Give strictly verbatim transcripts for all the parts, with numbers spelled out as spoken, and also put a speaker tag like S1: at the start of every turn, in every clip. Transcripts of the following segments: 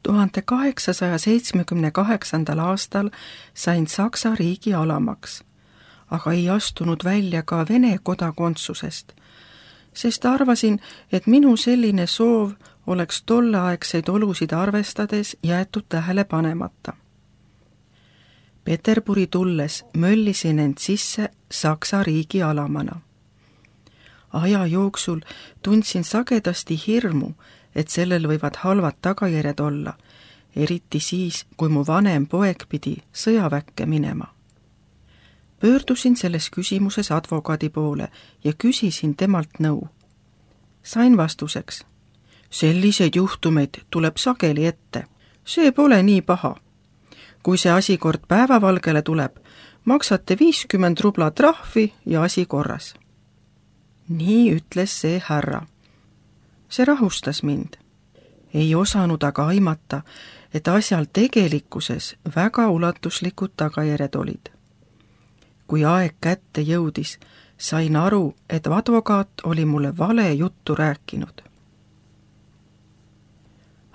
S1: tuhande kaheksasaja seitsmekümne kaheksandal aastal sain Saksa riigi alamaks, aga ei astunud välja ka Vene kodakondsusest, sest arvasin, et minu selline soov oleks tolleaegseid olusid arvestades jäetud tähele panemata. Peterburi tulles möllisin end sisse Saksa riigi alamana. Aja jooksul tundsin sagedasti hirmu, et sellel võivad halvad tagajärjed olla, eriti siis, kui mu vanem poeg pidi sõjaväkke minema. Pöördusin selles küsimuses advokaadi poole ja küsisin temalt nõu. Sain vastuseks: selliseid juhtumeid tuleb sageli ette. See pole nii paha. Kui see asi kord päevavalgele tuleb, maksate viiskümmend rubla trahvi ja asi korras. Nii ütles see härra. See rahustas mind. Ei osanud aga aimata, et asjal tegelikkuses väga ulatuslikud tagajärjed olid. Kui aeg kätte jõudis, sain aru, et advokaat oli mulle vale juttu rääkinud.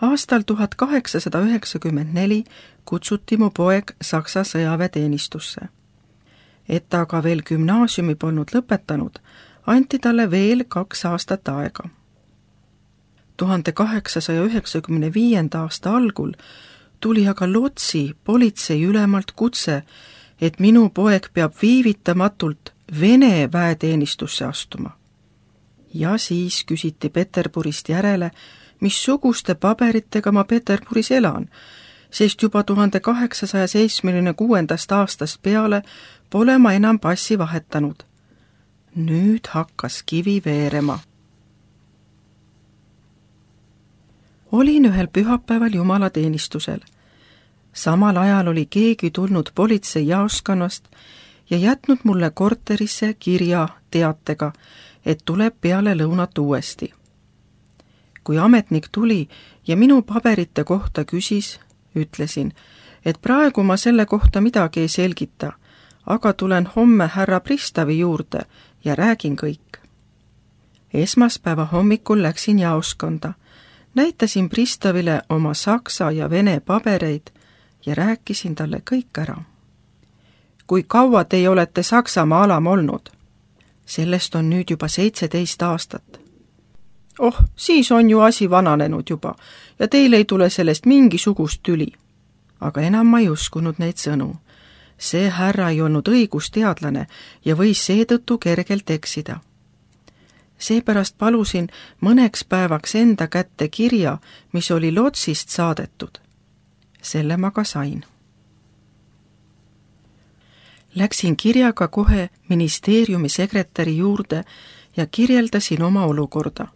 S1: Aastal tuhat kaheksasada üheksakümmend neli kutsuti mu poeg Saksa sõjaväeteenistusse. Et ta aga veel gümnaasiumi polnud lõpetanud, anti talle veel kaks aastat aega. tuhande kaheksasaja üheksakümne viienda aasta algul tuli aga Lotsi politsei ülemalt kutse, et minu poeg peab viivitamatult Vene väeteenistusse astuma. Ja siis küsiti Peterburist järele, missuguste paberitega ma Peterburis elan, sest juba tuhande kaheksasaja seitsmekümne kuuendast aastast peale pole ma enam passi vahetanud. Nüüd hakkas kivi veerema. Olin ühel pühapäeval jumalateenistusel. Samal ajal oli keegi tulnud politsei jaoskonnast ja jätnud mulle korterisse kirja teatega, et tuleb peale lõunat uuesti. Kui ametnik tuli ja minu paberite kohta küsis, ütlesin, et praegu ma selle kohta midagi ei selgita, aga tulen homme härra Pristavi juurde ja räägin kõik. Esmaspäeva hommikul läksin jaoskonda, näitasin Pristavile oma saksa ja vene pabereid ja rääkisin talle kõik ära. Kui kaua teie olete Saksamaa alam olnud? Sellest on nüüd juba seitseteist aastat. Oh, siis on ju asi vananenud juba ja teil ei tule sellest mingisugust tüli. Aga enam ma ei uskunud neid sõnu. See härra ei olnud õigusteadlane ja võis seetõttu kergelt eksida. Seepärast palusin mõneks päevaks enda kätte kirja, mis oli Lotsist saadetud. Selle ma ka sain. Läksin kirjaga kohe ministeeriumi sekretäri juurde ja kirjeldasin oma olukorda.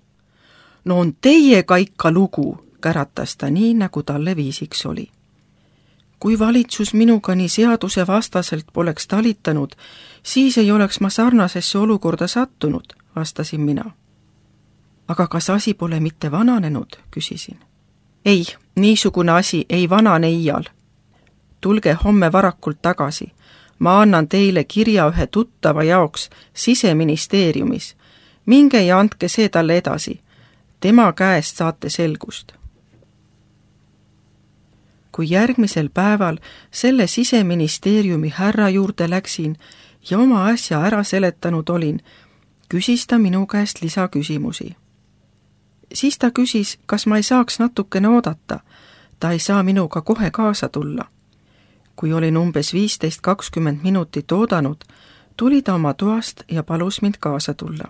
S1: No on teiega ikka lugu, käratas ta nii, nagu talle viisiks oli. Kui valitsus minuga nii seaduse vastaselt poleks talitanud, siis ei oleks ma sarnasesse olukorda sattunud, vastasin mina. Aga kas asi pole mitte vananenud, küsisin. Ei, niisugune asi ei vanane iial. Tulge homme varakult tagasi. Ma annan teile kirja ühe tuttava jaoks Siseministeeriumis. Minge ja andke see talle edasi. Tema käest saate selgust. Kui järgmisel päeval selle Siseministeeriumi härra juurde läksin ja oma asja ära seletanud olin, küsis ta minu käest lisaküsimusi. Siis ta küsis, kas ma ei saaks natukene oodata. Ta ei saa minuga kohe kaasa tulla. Kui olin umbes viisteist kakskümmend minutit oodanud, tuli ta oma toast ja palus mind kaasa tulla.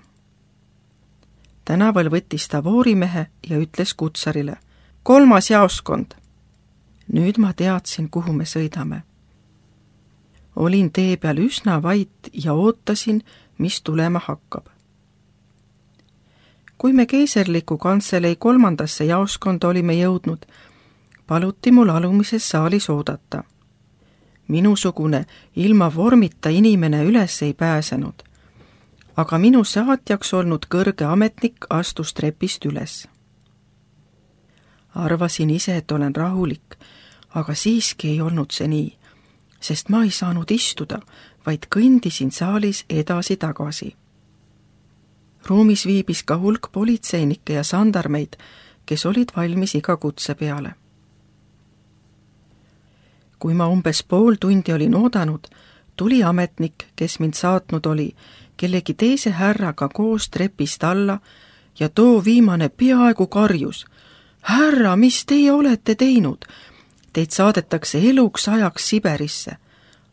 S1: Tänaval võttis ta voorimehe ja ütles kutsarile, kolmas jaoskond. Nüüd ma teadsin, kuhu me sõidame. Olin tee peal üsna vait ja ootasin, mis tulema hakkab. Kui me keiserliku kantselei kolmandasse jaoskonda olime jõudnud, paluti mul alumises saalis oodata. Minusugune ilma vormita inimene üles ei pääsenud, aga minu saatjaks olnud kõrge ametnik astus trepist üles. Arvasin ise, et olen rahulik, aga siiski ei olnud see nii, sest ma ei saanud istuda, vaid kõndisin saalis edasi-tagasi. Ruumis viibis ka hulk politseinikke ja sandarmeid, kes olid valmis iga kutse peale. kui ma umbes pool tundi olin oodanud, tuli ametnik, kes mind saatnud oli, kellegi teise härraga koos trepist alla ja too viimane peaaegu karjus. Härra, mis teie olete teinud? Teid saadetakse eluks ajaks Siberisse.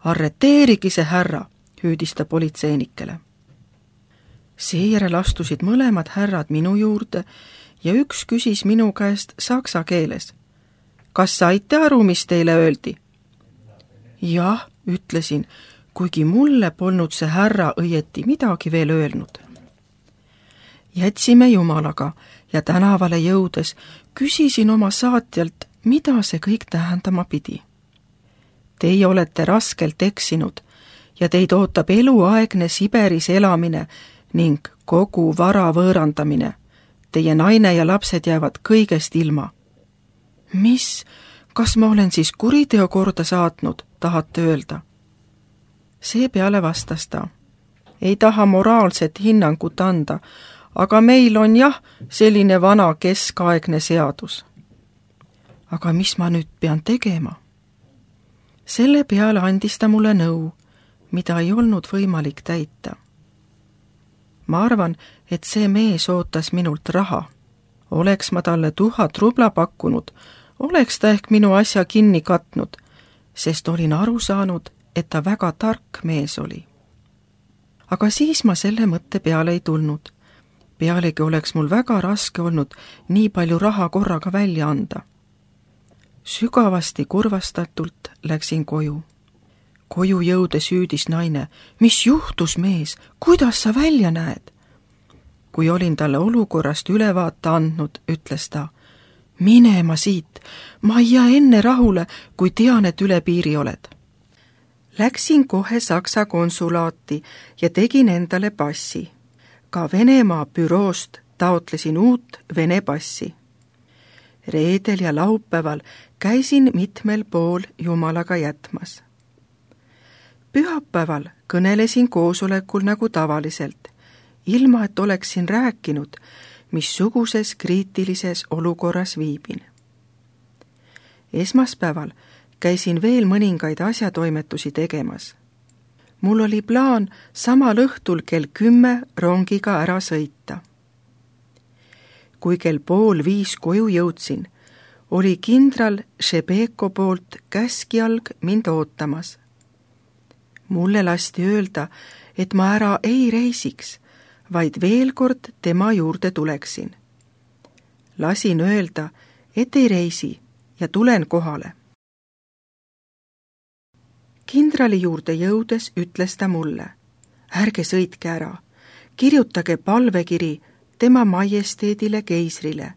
S1: Arreteerigi see härra, hüüdis ta politseinikele. Seejärel astusid mõlemad härrad minu juurde ja üks küsis minu käest saksa keeles. Kas saite aru, mis teile öeldi? Jah, ütlesin, kuigi mulle polnud see härra õieti midagi veel öelnud. Jätsime Jumalaga ja tänavale jõudes küsisin oma saatjalt, mida see kõik tähendama pidi. Teie olete raskelt eksinud ja teid ootab eluaegne Siberis elamine ning kogu vara võõrandamine. Teie naine ja lapsed jäävad kõigest ilma. Mis? Kas ma olen siis kuriteo korda saatnud, tahate öelda? Seepeale vastas ta. Ei taha moraalset hinnangut anda, aga meil on jah selline vana keskaegne seadus. Aga mis ma nüüd pean tegema? Selle peale andis ta mulle nõu, mida ei olnud võimalik täita. Ma arvan, et see mees ootas minult raha. Oleks ma talle tuhat rubla pakkunud, oleks ta ehk minu asja kinni katnud, sest olin aru saanud, et ta väga tark mees oli. Aga siis ma selle mõtte peale ei tulnud. Pealegi oleks mul väga raske olnud nii palju raha korraga välja anda. Sügavasti kurvastatult läksin koju. Koju jõudes hüüdis naine, mis juhtus, mees, kuidas sa välja näed? Kui olin talle olukorrast ülevaate andnud, ütles ta, minema siit, ma ei jää enne rahule, kui tean, et üle piiri oled. Läksin kohe Saksa konsulaati ja tegin endale passi. Ka Venemaa büroost taotlesin uut Vene passi. Reedel ja laupäeval käisin mitmel pool Jumalaga jätmas. Pühapäeval kõnelesin koosolekul nagu tavaliselt, ilma et oleksin rääkinud, missuguses kriitilises olukorras viibin. Esmaspäeval käisin veel mõningaid asjatoimetusi tegemas. Mul oli plaan samal õhtul kell kümme rongiga ära sõita. Kui kell pool viis koju jõudsin, oli kindral Šebeko poolt käskjalg mind ootamas. Mulle lasti öelda, et ma ära ei reisiks, vaid veel kord tema juurde tuleksin. Lasin öelda, et ei reisi ja tulen kohale. Kindrali juurde jõudes ütles ta mulle, ärge sõitke ära, kirjutage palvekiri tema majesteedile keisrile.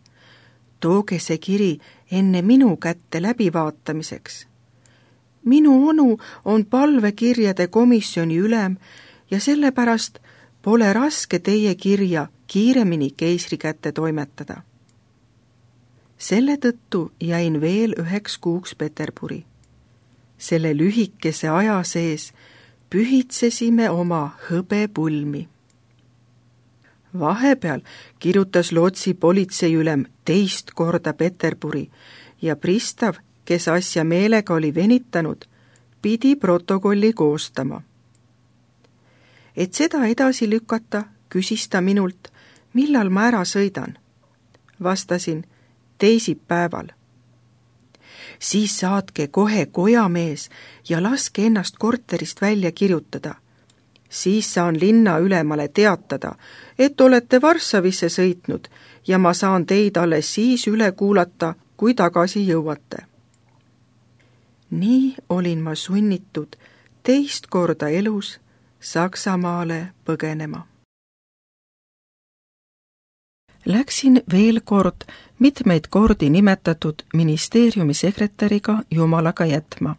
S1: Tooge see kiri enne minu kätte läbivaatamiseks. Minu onu on palvekirjade komisjoni ülem ja sellepärast pole raske teie kirja kiiremini keisri kätte toimetada. Selle tõttu jäin veel üheks kuuks Peterburi. Selle lühikese aja sees pühitsesime oma hõbepulmi. Vahepeal kirjutas Lotsi politseiülem teist korda Peterburi ja pristav, kes asja meelega oli venitanud, pidi protokolli koostama. Et seda edasi lükata, küsis ta minult, millal ma ära sõidan. Vastasin, teisipäeval. Siis saatke kohe kojamees ja laske ennast korterist välja kirjutada. Siis saan linna ülemale teatada, et olete Varssavisse sõitnud ja ma saan teid alles siis üle kuulata, kui tagasi jõuate. Nii olin ma sunnitud teist korda elus Saksamaale põgenema. Läksin veel kord mitmeid kordi nimetatud ministeeriumi sekretäriga Jumalaga jätma.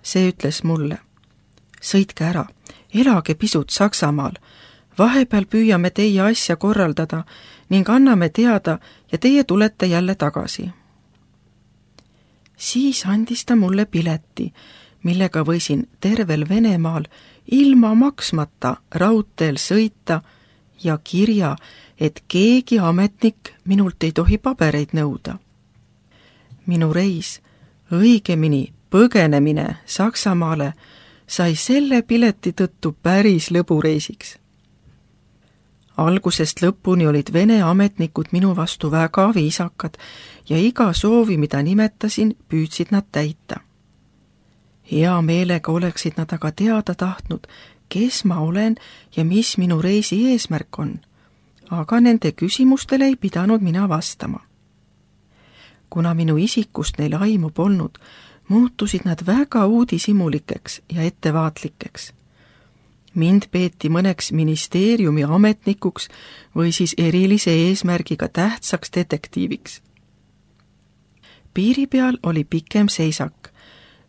S1: See ütles mulle, sõitke ära, elage pisut Saksamaal, vahepeal püüame teie asja korraldada ning anname teada ja teie tulete jälle tagasi. Siis andis ta mulle pileti, millega võisin tervel Venemaal ilma maksmata raudteel sõita ja kirja, et keegi ametnik minult ei tohi pabereid nõuda. Minu reis, õigemini põgenemine Saksamaale sai selle pileti tõttu päris lõbureisiks. Algusest lõpuni olid Vene ametnikud minu vastu väga viisakad ja iga soovi, mida nimetasin, püüdsid nad täita. Hea meelega oleksid nad aga teada tahtnud, kes ma olen ja mis minu reisi eesmärk on, aga nende küsimustele ei pidanud mina vastama. Kuna minu isikust neil aimu polnud, muutusid nad väga uudishimulikeks ja ettevaatlikeks. Mind peeti mõneks ministeeriumi ametnikuks või siis erilise eesmärgiga tähtsaks detektiiviks. Piiri peal oli pikem seisak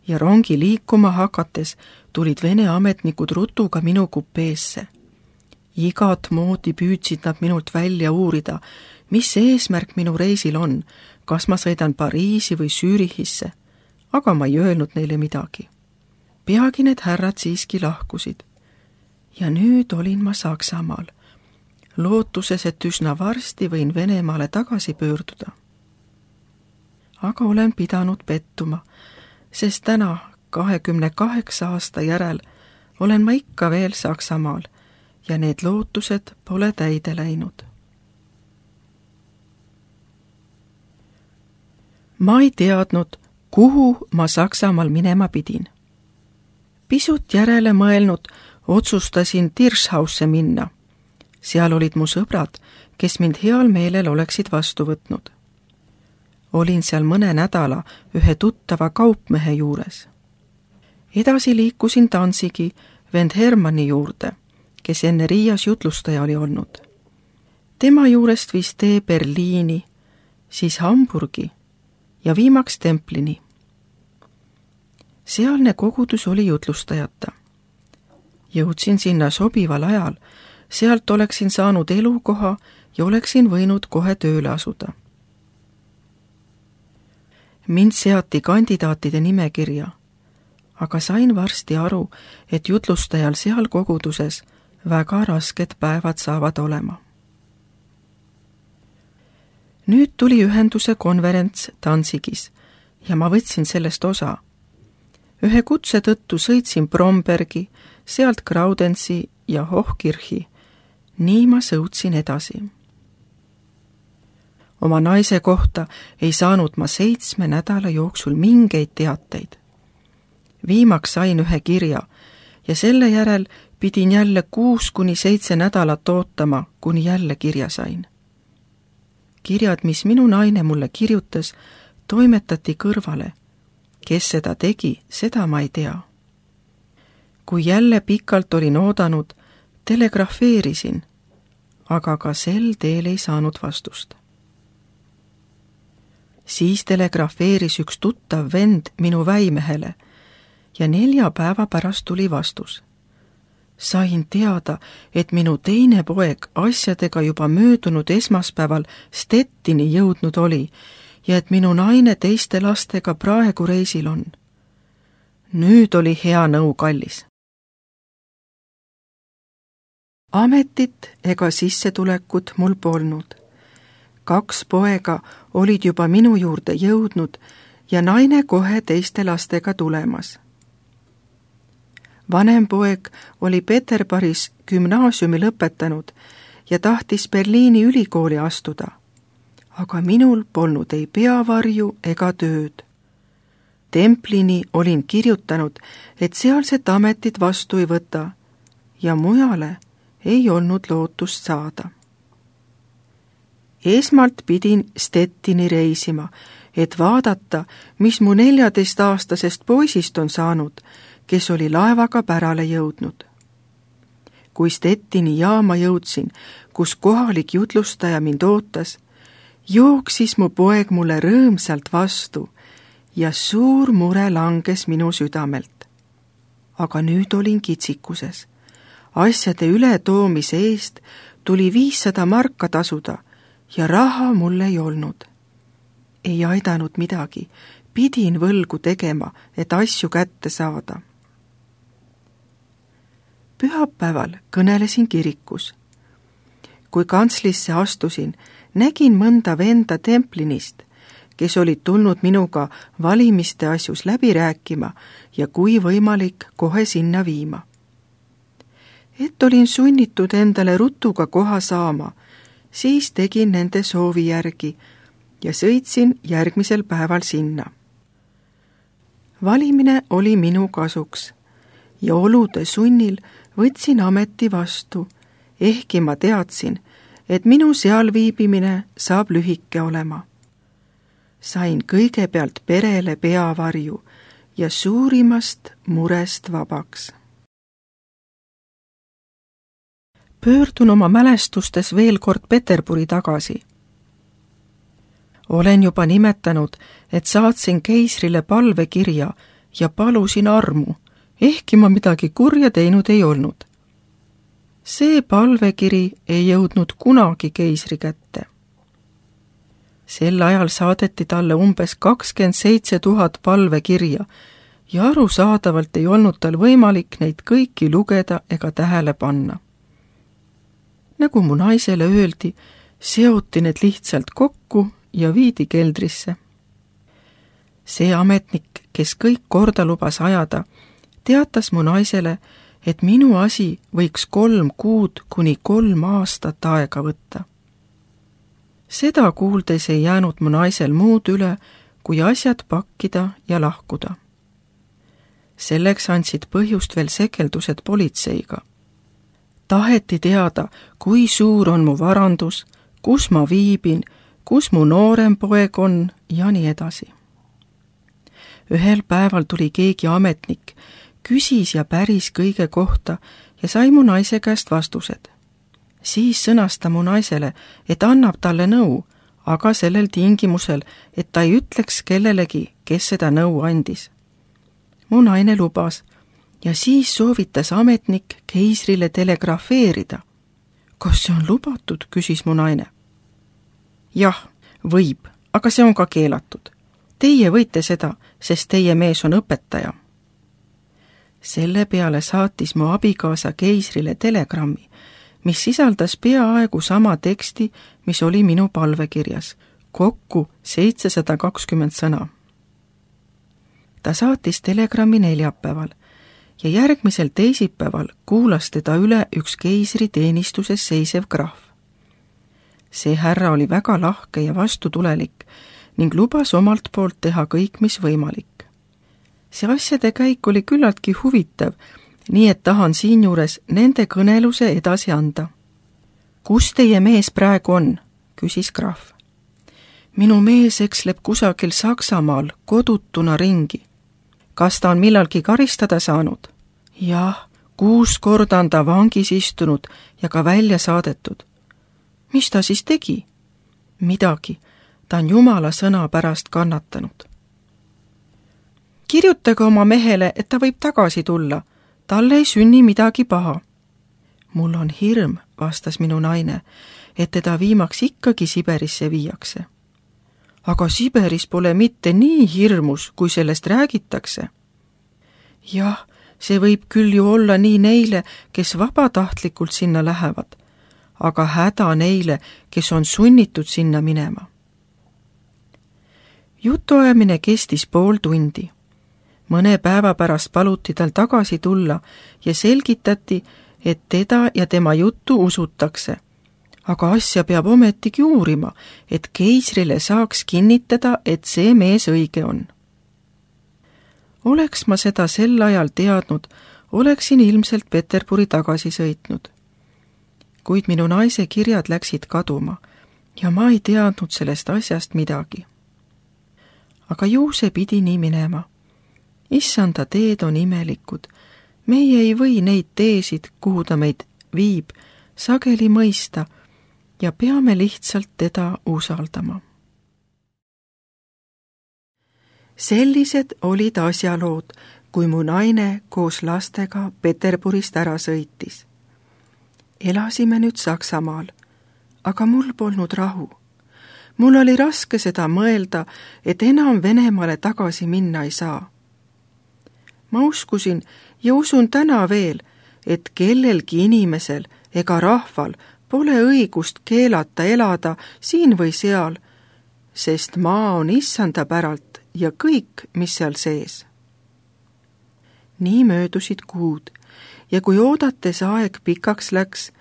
S1: ja rongi liikuma hakates tulid Vene ametnikud rutuga minu kupeesse. Igat moodi püüdsid nad minult välja uurida, mis eesmärk minu reisil on, kas ma sõidan Pariisi või Zürichisse, aga ma ei öelnud neile midagi. Peagi need härrad siiski lahkusid. Ja nüüd olin ma Saksamaal, lootuses, et üsna varsti võin Venemaale tagasi pöörduda. Aga olen pidanud pettuma, sest täna, kahekümne kaheksa aasta järel, olen ma ikka veel Saksamaal ja need lootused pole täide läinud. Ma ei teadnud, kuhu ma Saksamaal minema pidin. Pisut järele mõelnud, otsustasin Tirschhausse minna. Seal olid mu sõbrad, kes mind heal meelel oleksid vastu võtnud. Olin seal mõne nädala ühe tuttava kaupmehe juures. Edasi liikusin Danzigi vend Hermanni juurde, kes enne Riias jutlustaja oli olnud. Tema juurest viis tee Berliini, siis Hamburgi ja viimaks Templini. Sealne kogudus oli jutlustajata. Jõudsin sinna sobival ajal, sealt oleksin saanud elukoha ja oleksin võinud kohe tööle asuda. Mind seati kandidaatide nimekirja, aga sain varsti aru, et jutlustajal seal koguduses väga rasked päevad saavad olema. Nüüd tuli ühenduse konverents Danzigis ja ma võtsin sellest osa. Ühe kutse tõttu sõitsin Brombergi, sealt Graudensi ja Hochkirchi. Nii ma sõutsin edasi. Oma naise kohta ei saanud ma seitsme nädala jooksul mingeid teateid. Viimaks sain ühe kirja ja selle järel pidin jälle kuus kuni seitse nädalat ootama, kuni jälle kirja sain. Kirjad, mis minu naine mulle kirjutas, toimetati kõrvale. Kes seda tegi, seda ma ei tea. Kui jälle pikalt olin oodanud, telegrafeerisin, aga ka sel teel ei saanud vastust. Siis telegrafeeris üks tuttav vend minu väimehele ja nelja päeva pärast tuli vastus. Sain teada, et minu teine poeg asjadega juba möödunud esmaspäeval Stettini jõudnud oli ja et minu naine teiste lastega praegu reisil on. Nüüd oli hea nõu kallis. Ametit ega sissetulekut mul polnud. Kaks poega olid juba minu juurde jõudnud ja naine kohe teiste lastega tulemas. Vanem poeg oli Peterburis gümnaasiumi lõpetanud ja tahtis Berliini ülikooli astuda, aga minul polnud ei peavarju ega tööd. Templini olin kirjutanud, et sealset ametit vastu ei võta ja mujale ei olnud lootust saada. Esmalt pidin Stettini reisima, et vaadata, mis mu neljateistaastasest poisist on saanud, kes oli laevaga pärale jõudnud. Kui Stettini jaama jõudsin, kus kohalik jutlustaja mind ootas, jooksis mu poeg mulle rõõmsalt vastu ja suur mure langes minu südamelt. Aga nüüd olin kitsikuses. Asjade ületoomise eest tuli viissada marka tasuda ja raha mul ei olnud. Ei aidanud midagi, pidin võlgu tegema, et asju kätte saada. Pühapäeval kõnelesin kirikus. Kui kantslisse astusin, nägin mõnda venda Templinist, kes olid tulnud minuga valimiste asjus läbi rääkima ja kui võimalik, kohe sinna viima. Et olin sunnitud endale rutuga koha saama, siis tegin nende soovi järgi ja sõitsin järgmisel päeval sinna. Valimine oli minu kasuks ja olude sunnil võtsin ameti vastu, ehkki ma teadsin, et minu seal viibimine saab lühike olema. Sain kõigepealt perele peavarju ja suurimast murest vabaks. Pöördun oma mälestustes veel kord Peterburi tagasi. Olen juba nimetanud, et saatsin keisrile palvekirja ja palusin armu, ehkki ma midagi kurja teinud ei olnud. See palvekiri ei jõudnud kunagi keisri kätte. Sel ajal saadeti talle umbes kakskümmend seitse tuhat palvekirja ja arusaadavalt ei olnud tal võimalik neid kõiki lugeda ega tähele panna. Nagu mu naisele öeldi, seoti need lihtsalt kokku ja viidi keldrisse. See ametnik, kes kõik korda lubas ajada, teatas mu naisele, et minu asi võiks kolm kuud kuni kolm aastat aega võtta. Seda kuuldes ei jäänud mu naisel muud üle, kui asjad pakkida ja lahkuda. Selleks andsid põhjust veel sekeldused politseiga. Taheti teada, kui suur on mu varandus, kus ma viibin, kus mu noorem poeg on ja nii edasi. Ühel päeval tuli keegi ametnik, küsis ja päris kõige kohta ja sai mu naise käest vastused. Siis sõnas ta mu naisele, et annab talle nõu, aga sellel tingimusel, et ta ei ütleks kellelegi, kes seda nõu andis. Mu naine lubas ja siis soovitas ametnik keisrile telegrafeerida. Kas see on lubatud, küsis mu naine. Jah, võib, aga see on ka keelatud. Teie võite seda, sest teie mees on õpetaja. Selle peale saatis mu abikaasa keisrile telegrammi, mis sisaldas peaaegu sama teksti, mis oli minu palvekirjas, kokku seitsesada kakskümmend sõna. Ta saatis telegrammi neljapäeval ja järgmisel teisipäeval kuulas teda üle üks keisri teenistuses seisev krahv. See härra oli väga lahke ja vastutulelik ning lubas omalt poolt teha kõik, mis võimalik. See asjade käik oli küllaltki huvitav, nii et tahan siinjuures nende kõneluse edasi anda. Kus teie mees praegu on? Küsis krahv. Minu mees eksleb kusagil Saksamaal kodutuna ringi. Kas ta on millalgi karistada saanud? Jah, kuus korda on ta vangis istunud ja ka välja saadetud. Mis ta siis tegi? Midagi, ta on Jumala sõna pärast kannatanud. Kirjutage oma mehele, et ta võib tagasi tulla. Talle ei sünni midagi paha. Mul on hirm, vastas minu naine, et teda viimaks ikkagi Siberisse viiakse. Aga Siberis pole mitte nii hirmus, kui sellest räägitakse. Jah, see võib küll ju olla nii neile, kes vabatahtlikult sinna lähevad, aga häda neile, kes on sunnitud sinna minema. Jutuajamine kestis pool tundi. Mõne päeva pärast paluti tal tagasi tulla ja selgitati, et teda ja tema juttu usutakse. Aga asja peab ometigi uurima, et keisrile saaks kinnitada, et see mees õige on. Oleks ma seda sel ajal teadnud, oleksin ilmselt Peterburi tagasi sõitnud. Kuid minu naise kirjad läksid kaduma ja ma ei teadnud sellest asjast midagi. Aga ju see pidi nii minema. Issanda teed on imelikud. Meie ei või neid teesid, kuhu ta meid viib, sageli mõista ja peame lihtsalt teda usaldama. Sellised olid asjalood, kui mu naine koos lastega Peterburist ära sõitis. Elasime nüüd Saksamaal, aga mul polnud rahu. Mul oli raske seda mõelda, et enam Venemaale tagasi minna ei saa. Ma uskusin ja usun täna veel, et kellelgi inimesel ega rahval pole õigust keelata elada siin või seal, sest maa on issanda päralt ja kõik, mis seal sees. nii möödusid kuud ja kui oodates aeg pikaks läks,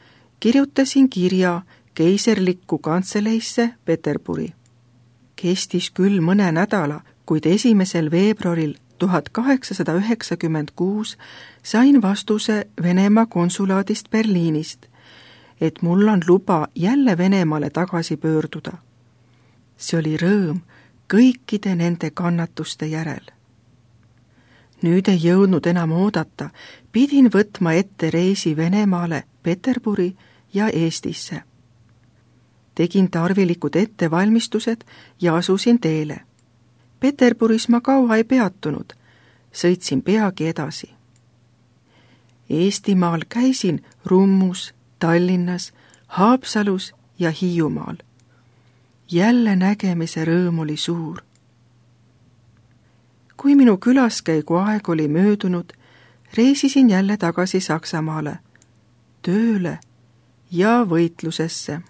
S1: kirjutasin kirja keiserlikku kantseleisse Peterburi. Kestis küll mõne nädala, kuid esimesel veebruaril tuhat kaheksasada üheksakümmend kuus sain vastuse Venemaa konsulaadist Berliinist, et mul on luba jälle Venemaale tagasi pöörduda. See oli rõõm kõikide nende kannatuste järel. Nüüd ei jõudnud enam oodata, pidin võtma ette reisi Venemaale, Peterburi ja Eestisse. Tegin tarvilikud ettevalmistused ja asusin teele. Peterburis ma kaua ei peatunud, sõitsin peagi edasi. Eestimaal käisin Rummus, Tallinnas, Haapsalus ja Hiiumaal. Jälle nägemise rõõm oli suur. Kui minu külaskäigu aeg oli möödunud, reisisin jälle tagasi Saksamaale, tööle ja võitlusesse.